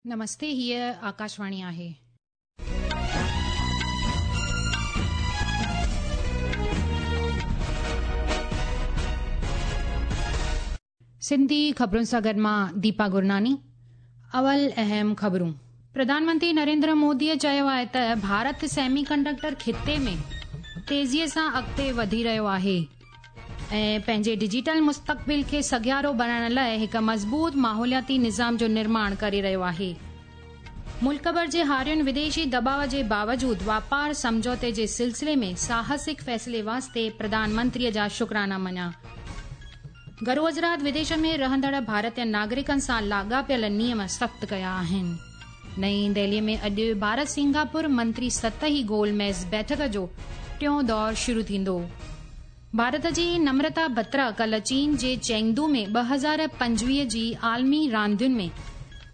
نمستي هيء آڪاشواڻي آهي. سنڌي خبرن سان گڏ مان ديپا گرناني. اول اهم خبرون. پرڌان منتري نريندر موديء چيو آهي ته ڀارت سيمي ڪنڊڪٽر خطي ۾ تيزيء سان اڳتي وڌي رهيو آهي ۽ پنهنجي ڊجيٽل مستقبل کي سگهارو بڻائڻ لاء هڪ مضبوط ماحولياتي نظام جو نرماڻ ڪري رهيو آهي. ملڪ ڀر جي هارين وديشي دٻاء جي باوجود واپار سمجهوتي جي سلسلي ۾ ساهسڪ فيصلي واسطي پرڌان منتريء جا شڪرانا مڃيا. گهرو وزارت وديشن ۾ رهندڙ ڀارتي ناگرڪن سان لاڳاپيل نيم سخت ڪيا آهن. نئين دهليء ۾ اڄ ڀارت سنگاپور منتري سطحي گول ميز بيٺڪ جو ٽيون دور شروع ٿيندو. ڀارت جي نمرتا بترا ڪالهه چين جي چينگدو ۾ 2025 جي عالمي راندين ۾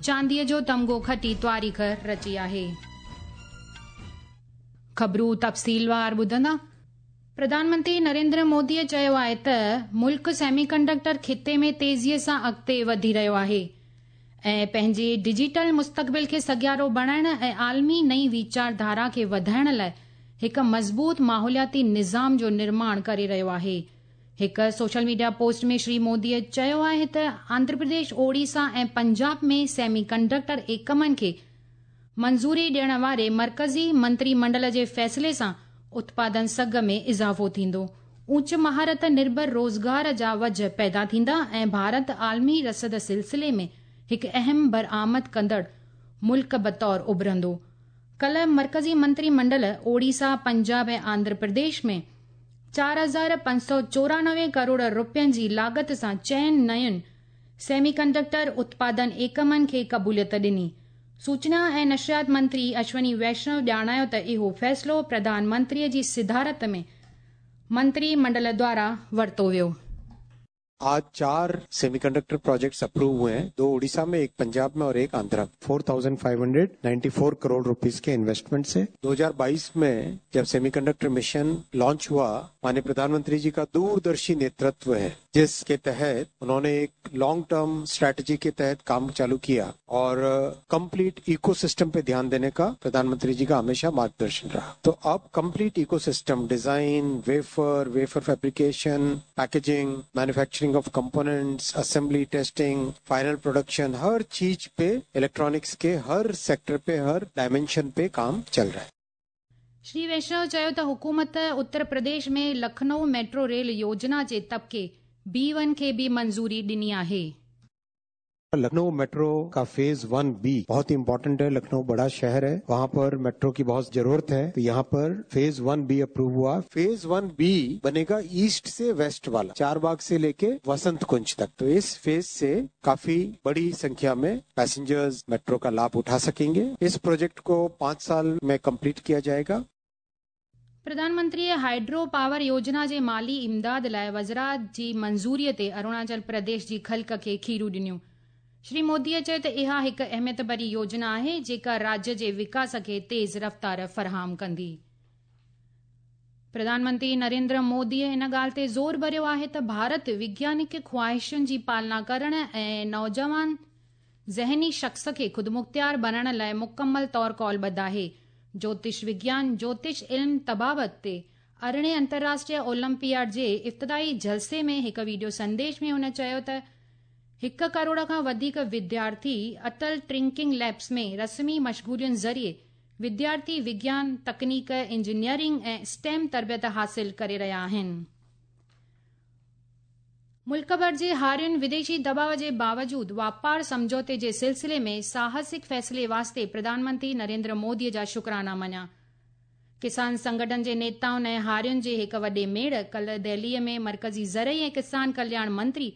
چانديء جو تمغو کٽي تواريخ رچي آهي. خبرون تفصيلوار ٻڌندا. پرڌان منتري نريندر موديء چيو آهي ته ملڪ سيمي ڪنڊڪٽر خطي ۾ تيزيء سان اڳتي وڌي رهيو آهي ۽ پنهنجي ڊجيٽل مستقبل کي سگهارو بڻائڻ ۽ عالمي نئين ويچار ڌارا کي وڌائڻ لاء هڪ مضبوط ماحولياتي نظام جو نرماڻ ڪري رهيو آهي. هڪ سوشل ميڊيا پوسٽ ۾ شري موديء چيو آهي ته آنڌرا پرديش، اوڙيسا ۽ پنجاب ۾ سيمي ڪنڊڪٽر ايڪمن کي منظوري ڏيڻ واري مرڪزي منتري منڊل جي فيصلي سان اتپادن سگهه ۾ اضافو ٿيندو، اوچ مهارت نرڀر روزگار جا وجهه پيدا ٿيندا ۽ ڀارت عالمي رسد سلسلي ۾ هڪ اهم برآمد ڪندڙ ملڪ بطور اڀرندو. ڪالهه مرڪزي منتري منڊل اوڙيسا، پنجاب ۽ آنڌرا پرديش ۾ 4594 ڪروڙ رپين جي لاڳت سان چئن نين سيمي ڪنڊڪٽر اتپادن ايڪمن کي قبوليت ڏني. سوچنا ۽ نشريات منتري اشوني ويشنو ڄاڻايو ته اهو فيصلو پرڌان منتريء جي صدارت ۾ منتري منڊل دواران ورتو ويو. आज 4 सेमीकंडक्टर प्रोजेक्ट्स अप्रूव हुए हैं, 2 उड़ीसा में, 1 पंजाब में और 1 आंध्रा में। 4,594 करोड़ रुपीस के इन्वेस्टमेंट से 2022 में जब सेमीकंडक्टर मिशन लॉन्च हुआ, माननीय प्रधानमंत्री जी का दूरदर्शी नेतृत्व है, जिसके तहत उन्होंने एक लॉन्ग टर्म स्ट्रेटजी के तहत काम चालू किया और कंप्लीट इकोसिस्टम पे ध्यान देने का प्रधानमंत्री जी का हमेशा मार्गदर्शन रहा। तो अब complete ecosystem, design, wafer, wafer fabrication, packaging, manufacturing of components, assembly, testing, final production, हर चीज पे इलेक्ट्रॉनिक्स के हर सेक्टर पे, हर डायमेंशन पे काम चल रहा है। श्री वैष्णव चयो त हुकूमत उत्तर प्रदेश में लखनऊ मेट्रो रेल योजना जे तबके बी वन खे बि मंज़ूरी ॾिनी आहे। लखनऊ मेट्रो का फेज 1B बहुत ही इंपॉर्टेंट है। लखनऊ बड़ा शहर है, वहाँ पर मेट्रो की बहुत जरूरत है, तो यहाँ पर फेज 1B approve हुआ। फेज 1B बनेगा ईस्ट से वेस्ट वाला, चारबाग से लेके वसंत कुंज तक। तो इस फेज से काफी बड़ी संख्या में पैसेंजर्स मेट्रो का लाभ उठा सकेंगे। इस प्रोजेक्ट को 5 साल में कंप्लीट किया जाएगा। प्रधानमंत्रीअ हाइड्रो पावर योजना जे माली इमदाद लाइ वज़रात जी मंज़ूरीअ ते अरुणाचल प्रदेश जी ख़ल्क खे खीरूं ॾिनियूं। श्री मोदीअ चयो त इहा हिकु अहमियत भरी योजना आहे जेका राज्य जे विकास खे तेज़ रफ़्तार फराहम कंदी। प्रधानमंत्री नरेंद्र मोदीअ इन ॻाल्हि ते ज़ोर भरियो आहे त भारत वैज्ञानिक ख़्वाहिशुनि जी पालना करण ऐं नौजवान ज़हनी शख़्स खे ख़ुदमुख़्तियार बणाइण लाइ मुकमल तौर कौलबद्ध आहे। ज्योतिष विज्ञान, ज्योतिष इल्म तबाबत ते 18वें अंतर्राष्ट्रीय ओलंपियाड जे इब्तिदाई जलसे में हिकु वीडियो संदेश में हुन चयो त 1 करोड़ खां वधीक विद्यार्थी अटल टिंकरिंग लैब्स में रस्मी मशगूलियुनि ज़रिए विद्यार्थी विज्ञान, तकनीक, इंजीनियरिंग ऐं स्टेम तरबियत हासिल करे रहिया आहिनि। मुल्क भर जे हारियुनि विदेशी दबाव जे बावजूद वापार सम्झौते जे सिलसिले में साहसिक फ़ैसिले वास्ते प्रधानमंत्री नरेंद्र मोदीअ जा शुक्राना मञिया। किसान संगठन जे नेताउनि ऐं हारियुनि जे हिकु वॾे मेड़ कल्ह दिल्लीअ में मर्कज़ी ज़रई ऐं किसान कल्याण मंत्री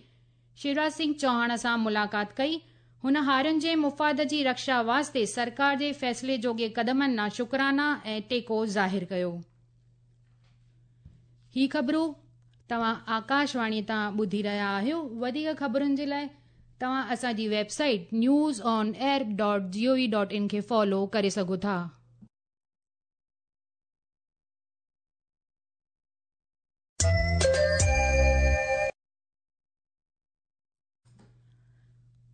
शिवराज सिंह चौहान सां मुलाक़ात कई। हुन हारियुनि जे मुफ़ाद जी रक्षा वास्ते सरकार जे फ़ैसिले जोॻे क़दमनि ॾांहुं शुक्राना ऐं टेको ज़ाहिर कयो। ही ख़बरूं तव्हां आकाशवाणी तां ॿुधी रहिया आहियो। वधीक ख़बरुनि जे लाइ तव्हां असांजी वेबसाइट newsonair.gov.in खे फॉलो करे सघो था।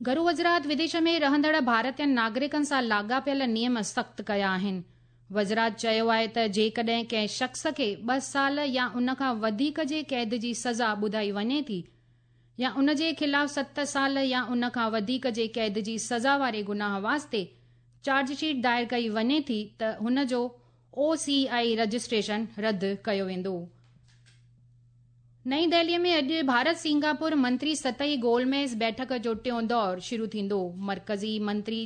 گهرو وزارت وديش ۾ رهندڙ ڀارتين ناگرڪن سان لاڳاپيل نيم سخت ڪيا آهن. وزارت چيو آهي ته جيڪڏهن ڪنهن شخص کي 2 سال يا ان کان وڌيڪ جي قيد جي سزا ٻڌائي وڃي ٿي يا ان جي خلاف 7 سال يا ان کان وڌيڪ جي قيد جي سزا واري گناهه واسطي چارج شيٽ دائر ڪئي وڃي ٿي ته هن جو او سي I registration رد ڪيو ويندو. نئين دهلي ۾ اڄ ڀارت سنگاپور منتري سطحي گول ميز بيٺڪ جو ٽيون دور شروع ٿيندو. مرڪزي منتري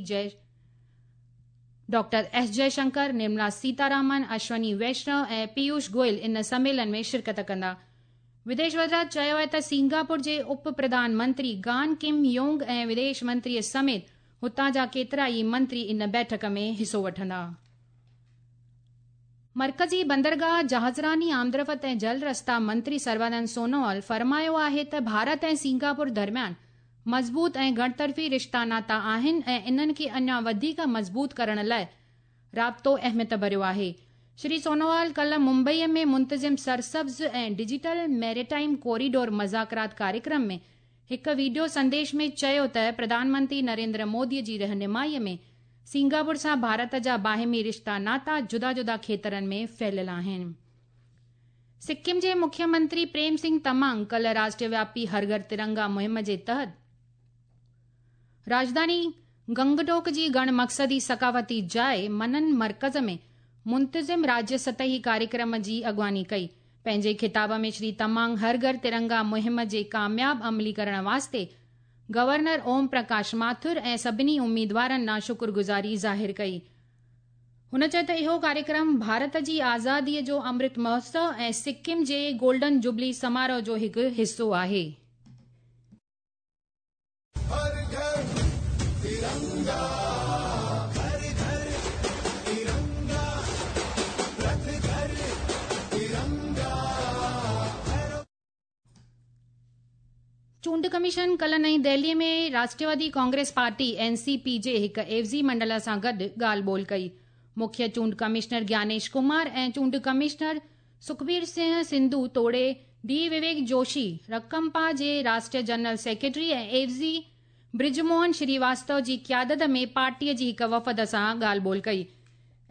ڊاڪٽر ايس جئه شنڪر، نرملا سيتارامن، اشوني ويشنو ۽ پيوش گوئل ان سميلن ۾ شرڪت ڪندا. وديش وزارت چيو آهي ته سنگاپور جي اپ پرڌان منتري گان ڪم يونگ ۽ وديش منتري سميت هتان جا ڪيترائي منتري ان بيٺڪ ۾ حصو وٺندا. مرڪزي بندرگاهه، جهازراني، آمدرفت ۽ جل رستا منتري سربانند سونوال فرمايو آهي ته ڀارت ۽ سنگاپور درميان مضبوط ۽ گهڻطرفي رشتا ناتا آهن ۽ انهن کي اڃا وڌيڪ مضبوط ڪرڻ لاء رابطو اهميت ڀريو آهي. شري سونوال ڪلهه ممبئي ۾ منتظم سرسبز ۽ ڊجيٽل ميريٽائيم ڪوريڊور مذاڪرات ڪاريڪرم ۾ هڪ وڊيو سنديش ۾ چيو ته پرڌان منتري نريندر مودي جي رهنمائي ۾ سنگاپور سان ڀارت جا باهمي رشتا ناتا جدا جدا کيترن ۾ ڦهليل آهن. سڪم جي مکيه منتري پريم سنگهه تمانگ ڪلهه راشٽر وياپي هر گهر ترنگا مهم جي تحت راڄڌاني گنگٽوڪ جي گهڻ مقصدي ثقافتي جاء منن مرڪز ۾ منتظم راجيه سطحي ڪاريڪرم جي اڳواڻي ڪئي. پنهنجي خطاب ۾ شري تمانگ هر گهر ترنگا مهم جي ڪامياب عملي ڪرڻ واسطي گورنر اوم پرڪاش ماٿر ۽ سڀني اميدوارن ڏانهن شڪرگذاري ظاهر ڪئي. هن چيو ته اهو ڪاريڪرم ڀارت جي آزادي جو امرت مهوتسو ۽ سڪم جي گولڊن جوبلي سماروهه جو هڪ حصو آهي. هر گهر ترنگا گهر گهر ترنگا رٿ گهر ترنگا. چونڊ ڪميشن ڪلهه نئين Delhi ۾ Rashtrawadi Congress party, N C P, جي هڪ عيوضي منڊل سان گڏ ڳالهه ٻولهه ڪئي. مکيه چونڊ ڪمشنر گيانيش ڪمار ۽ چونڊ ڪمشنر سکبير سنگهه سنڌو توڙي ڊي وويڪ جوشي، رڪمپا جي راشٽريه جنرل سيڪريٽري ۽ عيوضي برج موهن شريواستو جي قيادت ۾ پارٽي جي هڪ وفد سان ڳالهه ٻولهه ڪئي.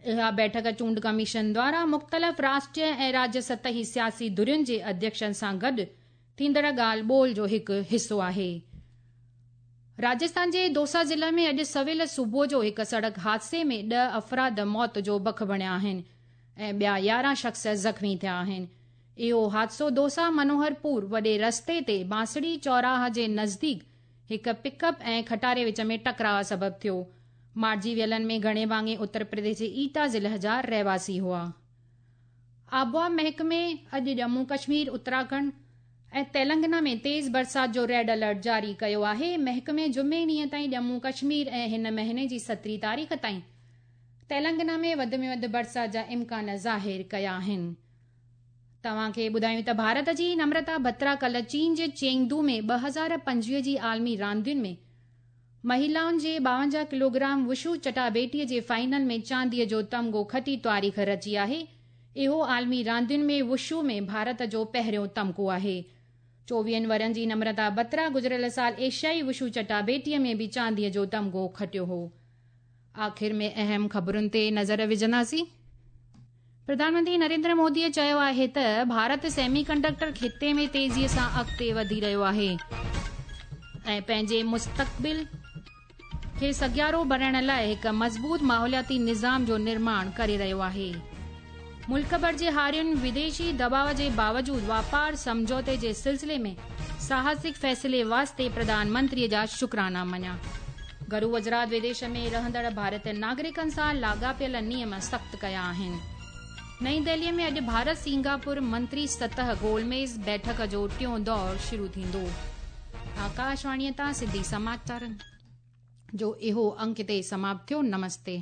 اها بيٺڪ چونڊ ڪميشن دواران مختلف راشٽريه ۽ راجيه سطحي سياسي ڌرين جي اڌيڪشن سان گڏ ٿيندڙ ڳالهه ٻولهه جو هڪ حصو آهي. راجسٿان جي دوسا ضلع ۾ اڄ سويل صبح جو هڪ سڙڪ حادثي ۾ 10 افراد موت جو بک بڻيا آهن ۽ ٻيا 11 شخص زخمي ٿيا آهن. اهو حادثو دوسا منوهرپور وڏي رستي تي بانسڙي چوراهه جي نزديڪ هڪ پڪ اپ ۽ کٽاري وچ ۾ ٽڪراء سبب ٿيو. مارجي ويلن ۾ گهڻي ڀاڱي اتر پرديش جي ايٽا ضلع جا رهواسي هئا. آبهوا محڪمي اڄ ڄمون ڪشمير، اتراکنڊ ۽ تيلنگنا ۾ تيز برسات جو ريڊ الرٽ جاري ڪيو آهي. محڪمي جمعي ڏينهن تائين ڄمون ڪشمير ۽ هن مهيني جي 17 تاريخ تائين تيلنگنا ۾ وڌ ۾ وڌ برسات جا امڪان ظاهر ڪيا آهن. توهان کي ٻڌايون ته ڀارت جي نمرتا بترا ڪلهه چين جي چينگدو ۾ 2025 جي عالمي راندين ۾ مهيلائن جي 52 ڪلوگرام وشو چٽاڀيٽي جي فائنل ۾ چانديء جو تمغو کٽي تاريخ رچي آهي. اهو عالمي راندين ۾ وشو ۾ ڀارت جو پهريون تمغو آهي. 24 ورهين جي نمرتا بترا گذريل سال ايشيائي وشو چٽاڀيٽي ۾ به چانديء جو تمغو کٽيو هو. آخر ۾ اهم خبرن تي نظر وجهنداسين. پرڌان منتري نريندر مودي چيو آهي ته ڀارت سيمي ڪنڊڪٽر خطي ۾ تيزي سان اڳتي وڌي رهيو آهي ۽ پنهنجي مستقبل کي سگهارو بڻائڻ لاء هڪ مضبوط ماحولياتي نظام جو نرماڻ ڪري رهيو آهي. ملڪ ڀر جي هارين وديشي دٻاء جي باوجود واپار سمجهوتي جي سلسلي ۾ ساهسڪ فيصلي واسطي پرڌان منتري جا شڪرانا مڃيا. گهرو وزارت وديش ۾ رهندڙ ڀارتي ناگرڪن سان لاڳاپيل نيم سخت ڪيا آهن. نئين دهلي ۾ اڄ ڀارت سنگاپور منتري سطح گول ميز بيٺڪ جو ٽيون دور شروع ٿيندو. آڪاشواڻي تان سنڌي سماچارن جو اهو انڪ هتي سماپت ٿيو. نمستي.